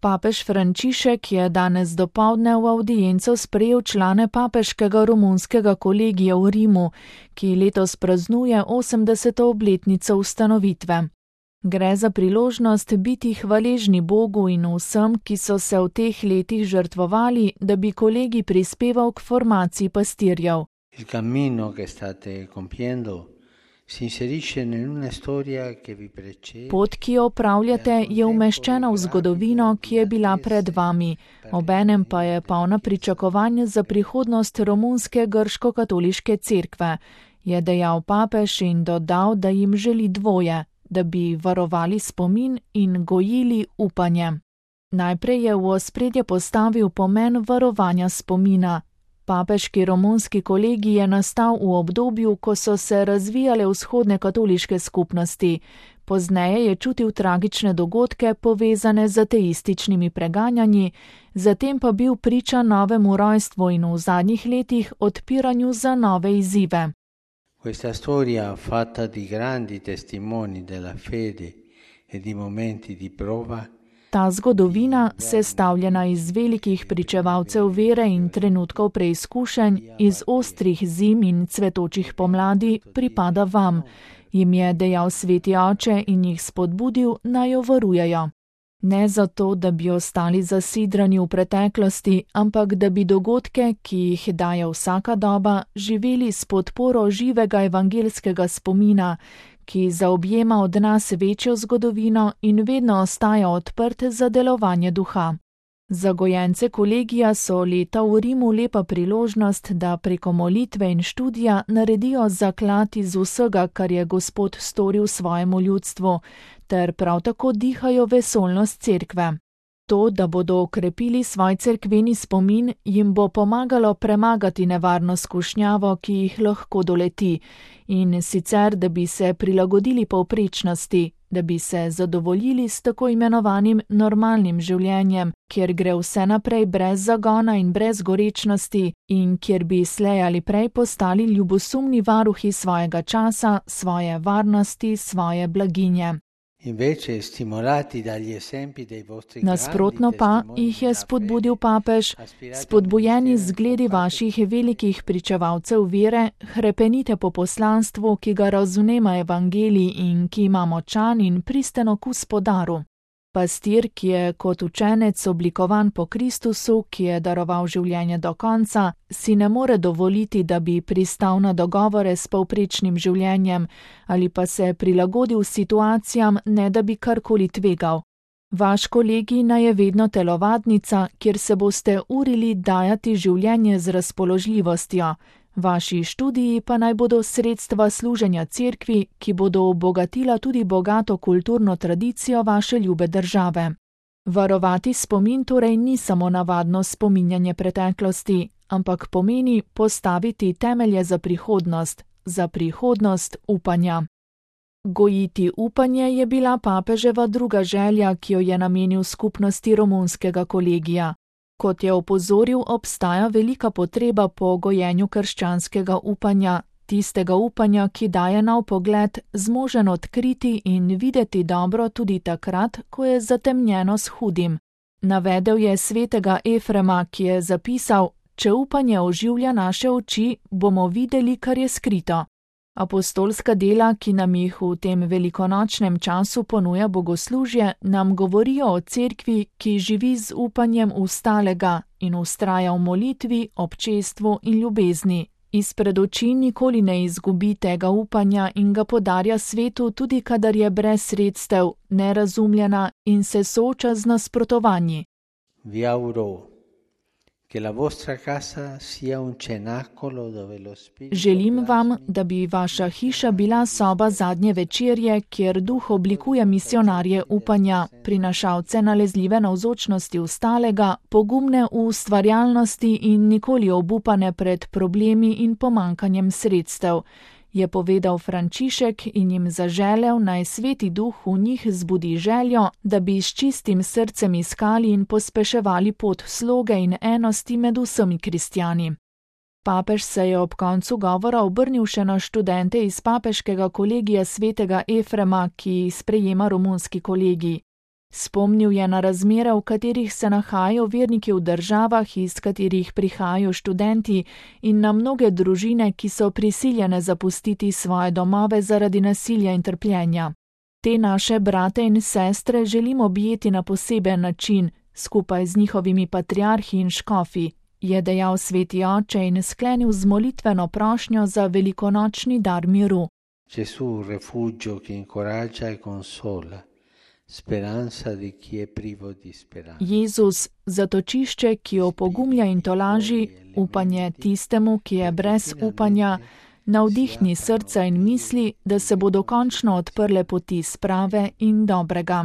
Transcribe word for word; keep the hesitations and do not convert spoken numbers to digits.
Papež Frančišek je danes dopoldne v avdienco sprejel člane papeškega romunskega kolegija v Rimu, ki letos praznuje osemdeseto obletnico ustanovitve. Gre za priložnost biti hvaležni Bogu in vsem, ki so se v teh letih žrtvovali, da bi kolegij prispeval k formaciji pastirjev. Il cammino che state compiendo si inserisce in una storia che vi precede. Pot, ki jo opravljate, je umeščena v zgodovino, ki je bila pred vami, obenem pa je polna pričakovanj za prihodnost romunske grško-katoliške cerkve, je dejal papež in dodal, da jim želi dvoje, da bi varovali spomin in gojili upanje. Najprej je v ospredje postavil pomen varovanja spomina. Papeški romunski kolegij je nastal v obdobju, ko so se razvijale vzhodne katoliške skupnosti. Pozneje je čutil tragične dogodke povezane z ateističnimi preganjanji, zatem pa bil priča novemu rojstvu in v zadnjih letih odpiranju za nove izzive. Questa storia fatta di grandi testimoni della fede e di momenti di prova. Ta zgodovina, sestavljena iz velikih pričevalcev vere in trenutkov preizkušenj, iz ostrih zim in cvetočih pomladi, pripada vam, jim je dejal sveti oče in jih spodbudil, naj jo varujejo. Ne zato, da bi ostali zasidrani v preteklosti, ampak da bi dogodke, ki jih daje vsaka doba, živeli s podporo živega evangelskega spomina, ki zaobjema od nas večjo zgodovino in vedno ostaja odprt za delovanje duha. Za gojence kolegija so leta v Rimu lepa priložnost, da preko molitve in študija naredijo zaklad iz vsega, kar je Gospod storil svojemu ljudstvu, ter prav tako dihajo vesolnost cerkve. To, da bodo okrepili svoj cerkveni spomin, jim bo pomagalo premagati nevarno skušnjavo, ki jih lahko doleti, in sicer, da bi se prilagodili povprečnosti, da bi se zadovoljili s tako imenovanim normalnim življenjem, kjer gre vse naprej brez zagona in brez gorečnosti in kjer bi slej ali prej postali ljubosumni varuhi svojega časa, svoje varnosti, svoje blaginje. Nasprotno pa jih je spodbudil papež, spodbujeni z zgledi vaših velikih pričevalcev vere, hrepenite po poslanstvu, ki ga razumema evangelij in ki ima močan in pristen okus po daru. Pastir, ki je kot učenec oblikovan po Kristusu, ki je daroval življenje do konca, si ne more dovoliti, da bi pristal na dogovore s povprečnim življenjem ali pa se prilagodil situacijam, ne da bi karkoli tvegal. Vaš kolegij naj je vedno telovadnica, kjer se boste urili dajati življenje z razpoložljivostjo. Vaši študiji pa naj bodo sredstva služenja cerkvi, ki bodo obogatila tudi bogato kulturno tradicijo vaše ljube države. Varovati spomin torej ni samo navadno spominjanje preteklosti, ampak pomeni postaviti temelje za prihodnost, za prihodnost upanja. Gojiti upanje je bila papeževa druga želja, ki jo je namenil skupnosti romunskega kolegija. Kot je opozoril, obstaja velika potreba po gojenju krščanskega upanja, tistega upanja, ki daje nov pogled, zmožen odkriti in videti dobro tudi takrat, ko je zatemnjeno s hudim. Navedel je svetega Efrema, ki je zapisal: če upanje oživlja naše oči, bomo videli, kar je skrito. Apostolska dela, ki nam jih v tem velikonočnem času ponuja bogoslužje, nam govorijo o cerkvi, ki živi z upanjem ustalega in ustraja v molitvi, občestvu in ljubezni. Izpred oči nikoli ne izgubi tega upanja in ga podarja svetu, tudi kadar je brez sredstev, nerazumljena in se sooča z nasprotovanji. Vi auguro che la vostra casa sia un cenacolo dove lo spirito. Želim vam, da bi vaša hiša bila soba zadnje večerje, kjer duh oblikuje misionarje upanja, prinašalce nalezljive navzočnosti ustalega, pogumne v ustvarjalnosti in nikoli obupane pred problemi in pomankanjem sredstev, je povedal Frančišek in jim zaželel, naj sveti duh v njih zbudi željo, da bi s čistim srcem iskali in pospeševali pot sloge in enosti med vsemi kristjani. Papež se je ob koncu govora obrnil še na študente iz papeškega kolegija svetega Efrema, ki sprejema romunski kolegij. Spomnil je na razmere, v katerih se nahajajo verniki v državah, iz katerih prihajajo študenti, in na mnoge družine, ki so prisiljene zapustiti svoje domove zaradi nasilja in trpljenja. Te naše brate in sestre želimo objeti na poseben način, skupaj z njihovimi patriarhi in škofi, je dejal sveti oče in sklenil z molitveno prošnjo za velikonočni dar miru. Gesù, refugio che incoraggia e consola, speranza di chi è privo di speranza. Jezus, zatočišče, ki opogumlja in tolaži, upanje tistemu, ki je brez upanja, navdihni srca in misli, da se bodo končno odprle poti sprave in dobrega.